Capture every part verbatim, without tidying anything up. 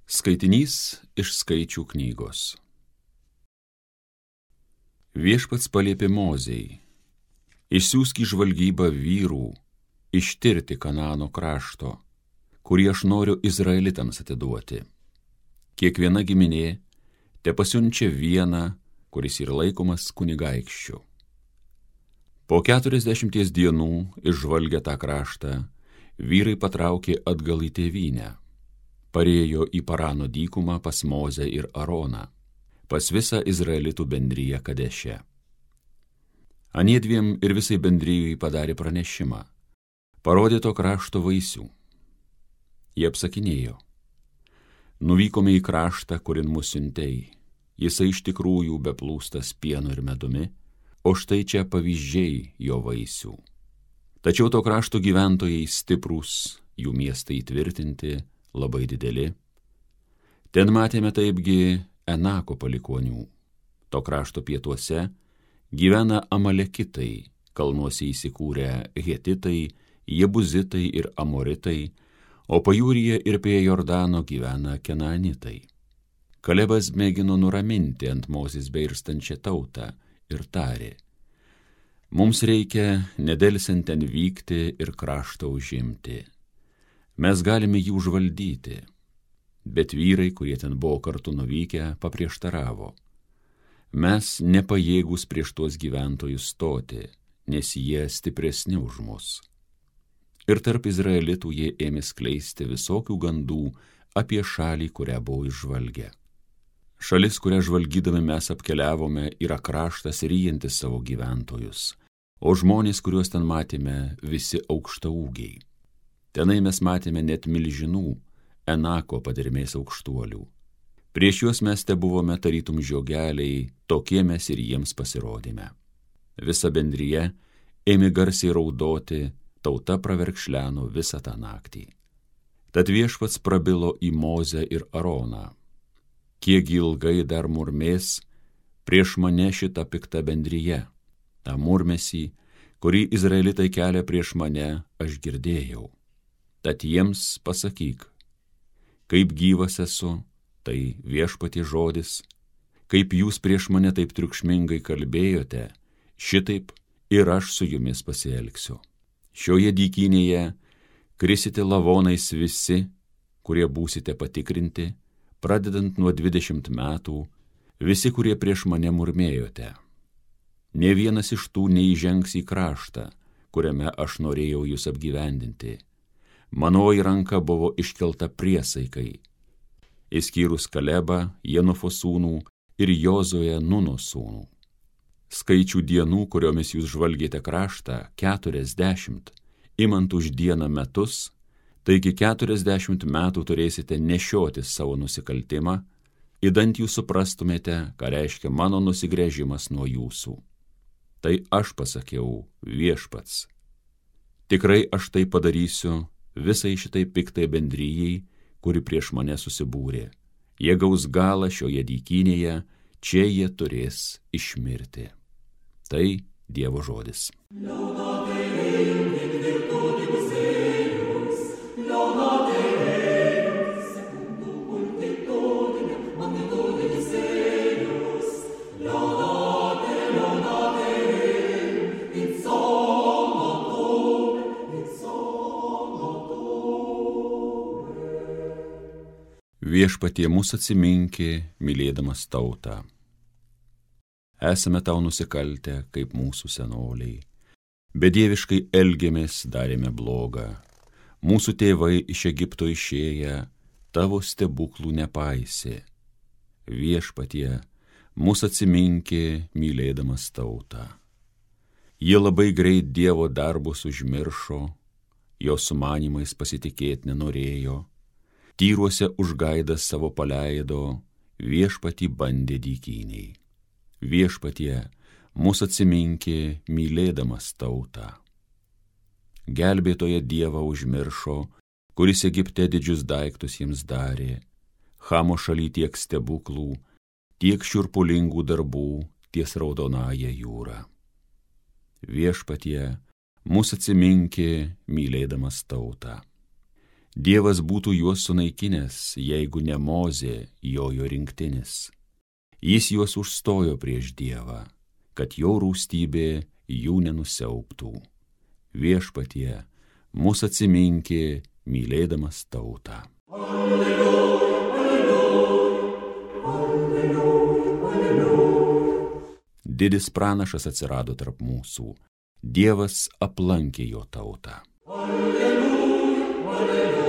Skaitinys iš Skaičių knygos. Viešpats paliepė Mozei: išsiųsk į žvalgybą vyrų, ištirti Kanaano krašto, kurį aš noriu Izraelitams atiduoti. Kiekviena giminė tepasiunčia vieną, kuris yra laikomas kunigaikščiu. Po keturiasdešimties dienų išžvalgę tą kraštą, vyrai patraukė atgal į tėvynę. Parėjo į Parano dykumą pas Mozę ir Aroną, pas visą Izraelitų bendriją Kadeše. Aniedviem ir visai bendrijai padarė pranešimą, parodė to krašto vaisių. Jie apsakinėjo: nuvykome į kraštą, kurin mus siuntei, jisai iš tikrųjų beplūstas pienu ir medumi, o štai čia pavyzdžiai jo vaisių. Tačiau to krašto gyventojai stiprūs, jų miestai įtvirtinti, labai dideli. Ten matėme taipgi Enako palikonių. To krašto pietuose gyvena Amalekitai, kalnuose įsikūrę Hetitai, Jebuzitai ir Amoritai, o pajūryje ir prie Jordano gyvena Kenaanitai. Kalebas mėgino nuraminti ant Mozės beirstančią tautą ir tarė: mums reikia nedelsiant ten vykti ir kraštą užimti. Mes galime jį užvaldyti. Bet vyrai, kurie ten buvo kartu nuvykę, paprieštaravo: mes nepajėgūs prieš tuos gyventojus stoti, nes jie stipresni už mus. Ir tarp Izraelitų jie ėmė skleisti visokių gandų apie šalį, kurią buvo išžvalgę. Šalis, kurią žvalgydami mes apkeliavome, yra kraštas ryjantis savo gyventojus, o žmonės, kuriuos ten matėme, visi aukštaūgiai. Tenai mes matėme net milžinų, Enako padermės aukštuolių. Prieš juos mes te buvome tarytum žiogeliai, tokie mes ir jiems pasirodėme. Visa bendrija ėmė garsiai raudoti, tauta praverkšleno visą tą naktį. Tad Viešpats prabilo į Mozę ir Aroną: kiek ilgai dar murmės prieš mane šitą piktą bendriją? tą murmesį, kurį Izraelitai kelia prieš mane, aš girdėjau. Tad jiems pasakyk: kaip gyvas esu, tai Viešpaties žodis, kaip jūs prieš mane taip triukšmingai kalbėjote, šitaip ir aš su jumis pasielgsiu. Šioje dykynėje krisite lavonais visi, kurie būsite patikrinti, pradedant nuo dvidešimt metų, visi, kurie prieš mane murmėjote. Ne vienas iš tų neįžengs į kraštą, kuriame aš norėjau jūs apgyvendinti. Manoji ranka buvo iškelta priesaikai, išskyrus Kalebą, Jenofo sūnų ir Jozuę, Nuno sūnų. Skaičių dienų, kuriomis jūs žvalgėte kraštą, keturiasdešimt, imant už dieną metus, taigi keturiasdešimt metų turėsite nešiotis savo nusikaltimą, idant jūs suprastumėte, ką reiškia mano nusigręžimas nuo jūsų. Tai aš pasakiau, Viešpats. Tikrai aš tai padarysiu visai šitai piktai bendrijai, kuri prieš mane susibūrė. Jie gaus galą šioje dykynėje, čia jie turės išmirti. Tai Dievo žodis. Viešpatie mūsų atsiminkė, mylėdamas tautą. Esame tau nusikaltę, kaip mūsų senoliai. Bedieviškai elgėmės, darėme blogą. Mūsų tėvai iš Egipto išėję, tavo stebuklų nepaisė. Viešpatie mūsų atsiminkė, mylėdamas tautą. Jie labai greit Dievo darbus užmiršo, jo sumanimais pasitikėti nenorėjo. Tyruose užgaidas savo paleido, Viešpatį bandė dykyniai. Viešpatie, mūsų atsiminkė, mylėdamas tautą. Gelbėtoje Dievą užmiršo, kuris Egipte didžius daiktus jiems darė, Chamo šaly tiek stebuklų, tiek šiurpulingų darbų ties Raudonąja jūra. Viešpatie, mūsų atsiminkė, mylėdamas tautą. Dievas būtų juos sunaikinęs, jeigu ne Mozė jojo rinktinis. Jis juos užstojo prieš Dievą, kad jo rūstybė jų nenusiaubtų. Viešpatie, mus atsiminkė, mylėdamas tautą. Alleluja, alleluja, alleluja, alleluja. Didis pranašas atsirado tarp mūsų. Dievas aplankė jo tautą. Alleluja, alleluja.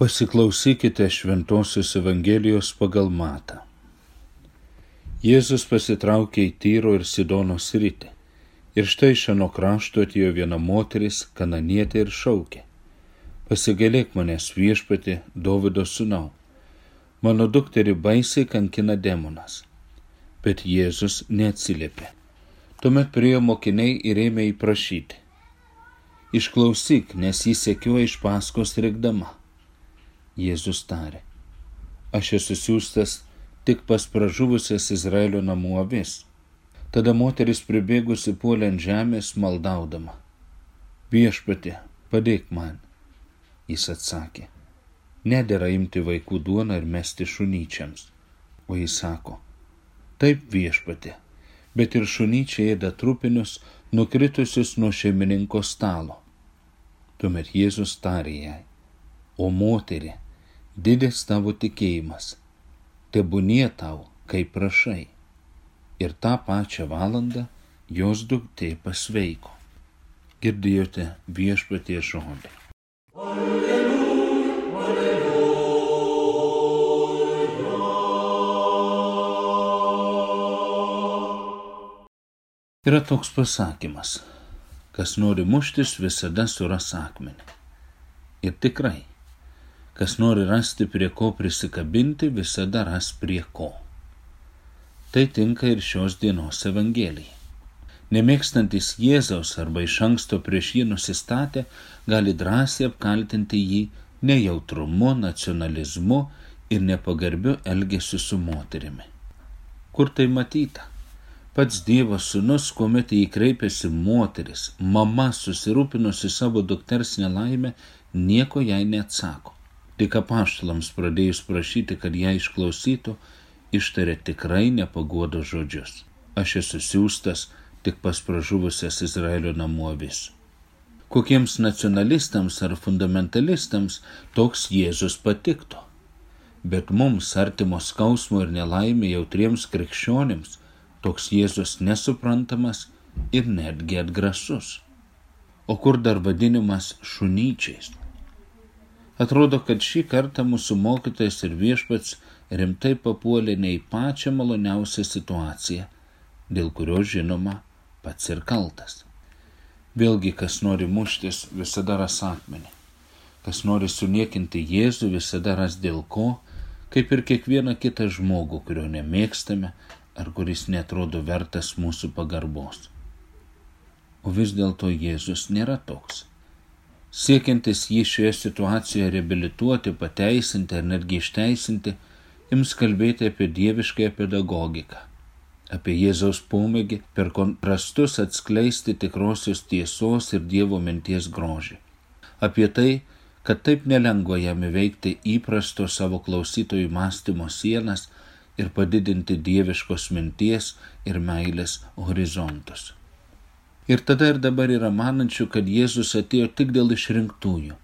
Pasiklausykite Šventosios Evangelijos pagal Matą. Jėzus pasitraukė į Tyro ir Sidono sritį. Ir štai iš ano krašto atėjo viena moteris, kananietė, ir šaukė: Pasigailėk manęs, Viešpatie, Dovydo sūnau, mano dukterį baisiai kankina demonas. Bet Jėzus neatsiliepė. Tuomet priėjo mokiniai ir ėmė jį prašyti: Išklausyk, nes jį sekioja iš paskos rėkdama. Jėzus tarė: Aš esu siųstas tik pas pražuvusias Izraelio namų avis. Tada moteris pribėgusi puolė ant žemės, maldaudama: Viešpatie, padėk man. Jis atsakė: Nedera imti vaikų duoną ir mesti šunyčiams. O jis sako: Taip, Viešpatie, bet ir šunyčiai ėda trupinius, nukritusius nuo šeimininko stalo. Tuomet Jėzus tarė jai: O moterie, didis tavo tikėjimas, tebūnie tau, kaip prašai. Ir tą pačią valandą jos duktė pasveiko. Girdėjote Viešpaties žodį. Alleluja, alleluja. Yra toks pasakymas: kas nori muštis, visada suras akmenį. Ir tikrai, kas nori rasti prie ko prisikabinti, visada ras prie ko. Tai tinka ir šios dienos Evangelijai. Nemėgstantis Jėzaus arba iš anksto prieš jį nusistatę, gali drąsiai apkaltinti jį nejautrumu, nacionalizmu ir nepagarbiu elgesiu su moterimi. Kur tai matyta? Pats Dievo sūnus, kuomet jį kreipėsi moteris, mama susirūpinusi savo dukters nelaimę, nieko jai neatsako. Tik apaštalams pradėjus prašyti, kad ją išklausytų, ištarė tikrai nepaguodo žodžius: Aš esu siųstas tik pas pražuvusias Izraelio namų avis. Kokiems nacionalistams ar fundamentalistams toks Jėzus patiktų. Bet mums, artimo skausmo ir nelaimė jautriems krikščionims, toks Jėzus nesuprantamas ir netgi atgrasus. O kur dar vadinimas šunyčiais? Atrodo, kad šį kartą mūsų mokytojas ir Viešpats rimtai papuolė ne į pačią maloniausią situaciją, dėl kurios, žinoma, pats ir kaltas. Vėlgi, kas nori muštis, visada ras akmenį. Kas nori suniekinti Jėzų, visada ras dėl ko, kaip ir kiekvieną kitą žmogų, kurio nemėgstame ar kuris netrodo vertas mūsų pagarbos. O vis dėlto Jėzus nėra toks. Siekiantis jį šioje situacijoje reabilituoti, pateisinti ar netgi išteisinti, ims kalbėti apie dieviškąją pedagogiką, apie Jėzaus pomėgį per kontrastus atskleisti tikrosios tiesos ir Dievo minties grožį, apie tai, kad taip nelengva jam įveikti įprasto savo klausytojų mąstymo sienas ir padidinti dieviškos minties ir meilės horizontus. Ir tada ir dabar yra manančių, kad Jėzus atėjo tik dėl išrinktųjų,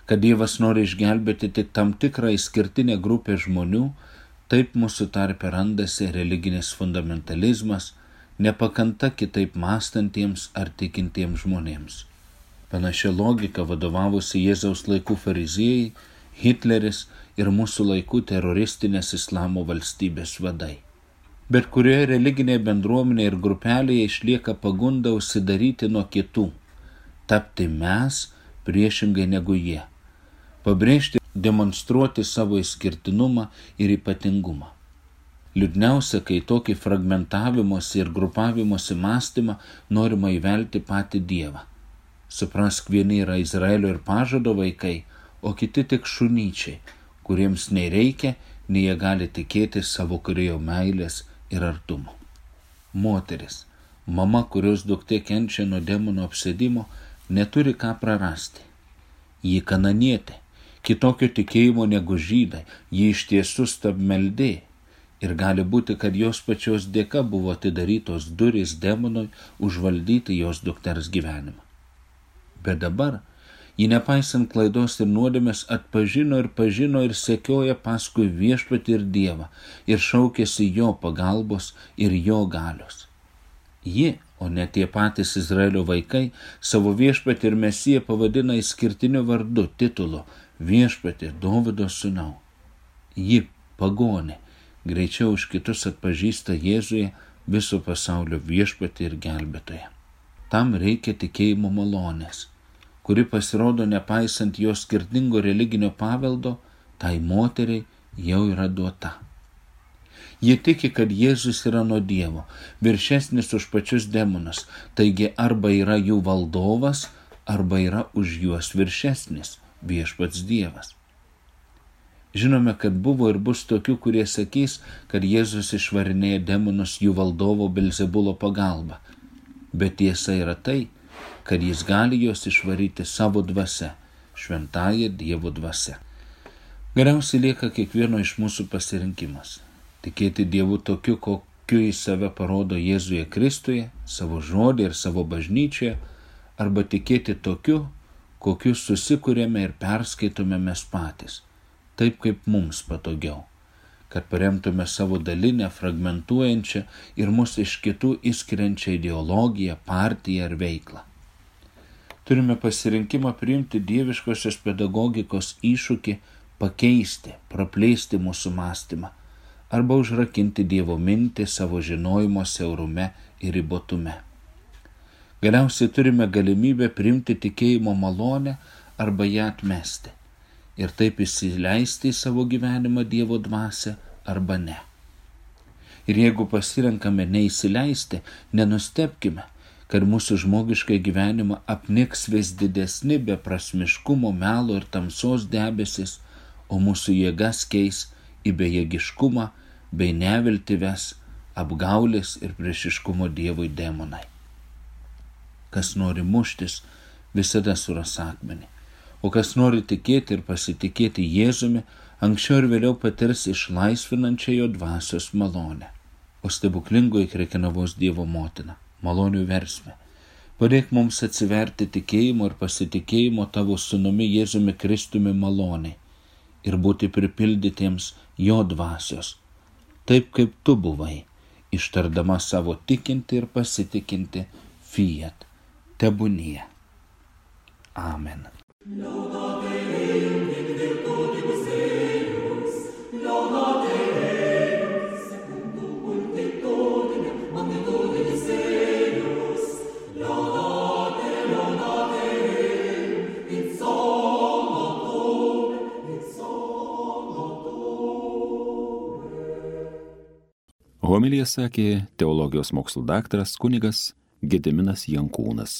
kad Dievas nori išgelbėti tik tam tikrą išskirtinę grupę žmonių. Taip mūsų tarpe randasi religinis fundamentalizmas, nepakanta kitaip mąstantiems ar tikintiems žmonėms. Panašia logika vadovavusi Jėzaus laikų fariziejai, Hitleris ir mūsų laikų teroristinės islamo valstybės vadai. Bet kurioje religinėje bendruomenėje ir grupelėje išlieka pagunda užsidaryti nuo kitų, tapti mes priešingai negu jie, pabrėžti, demonstruoti savo išskirtinumą ir ypatingumą. Liūdniausia, kai tokį fragmentavimosi ir grupavimosi mąstymą norima įvelti patį Dievą. Suprask, vieni yra Izraelio ir pažado vaikai, o kiti tik šunyčiai, kuriems nei reikia, nei jie gali tikėti savo kūrėjo meilės ir artumo. Moteris, Mama, kurios duktė kenčia nuo demono apsėdimo, neturi ką prarasti. Ji kananietė, kitokio tikėjimo negu žydai, ji iš tiesų stabmeldė. Ir gali būti, kad jos pačios dėka buvo atidarytos durys demonui užvaldyti jos dukters gyvenimą. Bet dabar ji nepaisant klaidos ir nuodėmės atpažino ir pažino ir sekioja paskui Viešpatį ir Dievą ir šaukėsi jo pagalbos ir jo galios. Ji, o ne tie patys Izraelio vaikai, savo Viešpatį ir Mesiją pavadina išskirtiniu vardu, titulu Viešpatį Dovydo sūnau. Ji, pagonė, greičiau už kitus atpažįsta Jėzuje viso pasaulio Viešpatį ir gelbėtoją. Tam reikia tikėjimo malonės, kuri pasirodo nepaisant jo skirtingo religinio paveldo, tai moteriai jau yra duota. Jie tiki, kad Jėzus yra nuo Dievo, viršesnis už pačius demonus, taigi arba yra jų valdovas, arba yra už juos viršesnis, Viešpats Dievas. Žinome, kad buvo ir bus tokių, kurie sakys, kad Jėzus išvarinėja demonus jų valdovo Belzebulo pagalba, bet tiesa yra tai, kad jis gali juos išvaryti savo dvasia, šventąja Dievo dvasia. Galiausiai lieka kiekvieno iš mūsų pasirinkimas. Tikėti Dievu tokiu, kokiu jis save parodo Jėzuje Kristuje, savo žodį ir savo bažnyčioje, arba tikėti tokiu, kokiu susikūrėme ir perskaitome mes patys, taip kaip mums patogiau, kad paremtume savo dalinę, fragmentuojančią ir mus iš kitų išskiriančią ideologiją, partiją ar veiklą. Turime pasirinkimą priimti dieviškosios pedagogikos iššūkį, pakeisti, praplėsti mūsų mąstymą arba užrakinti Dievo mintį savo žinojimo siaurume ir ribotume. Galiausiai turime galimybę priimti tikėjimo malonę arba ją atmesti ir taip įsileisti į savo gyvenimą Dievo dvasią arba ne. Ir jeigu pasirenkame neįsileisti, nenustebkime, kad mūsų žmogišką gyvenimą apniks vis didesni beprasmiškumo, melo ir tamsos debesis, o mūsų jėgas keis į bejėgiškumą bei neviltį ves apgaulės ir priešiškumo Dievui demonai. Kas nori muštis, visada suras akmenį, o kas nori tikėti ir pasitikėti Jėzumi, anksčiau ir vėliau patirs išlaisvinančią jo dvasios malonę. O stebuklingoji Krekenavos Dievo motina, malonių versmė, padėk mums atsiverti tikėjimo ir pasitikėjimo tavo sūnumi Jėzumi Kristumi maloniai ir būti pripildytiems jo dvasios, taip kaip tu buvai, ištardama savo tikinti ir pasitikinti fiat, tebūnie. Amen. Homiliją sakė teologijos mokslų daktaras kunigas Gediminas Jankūnas.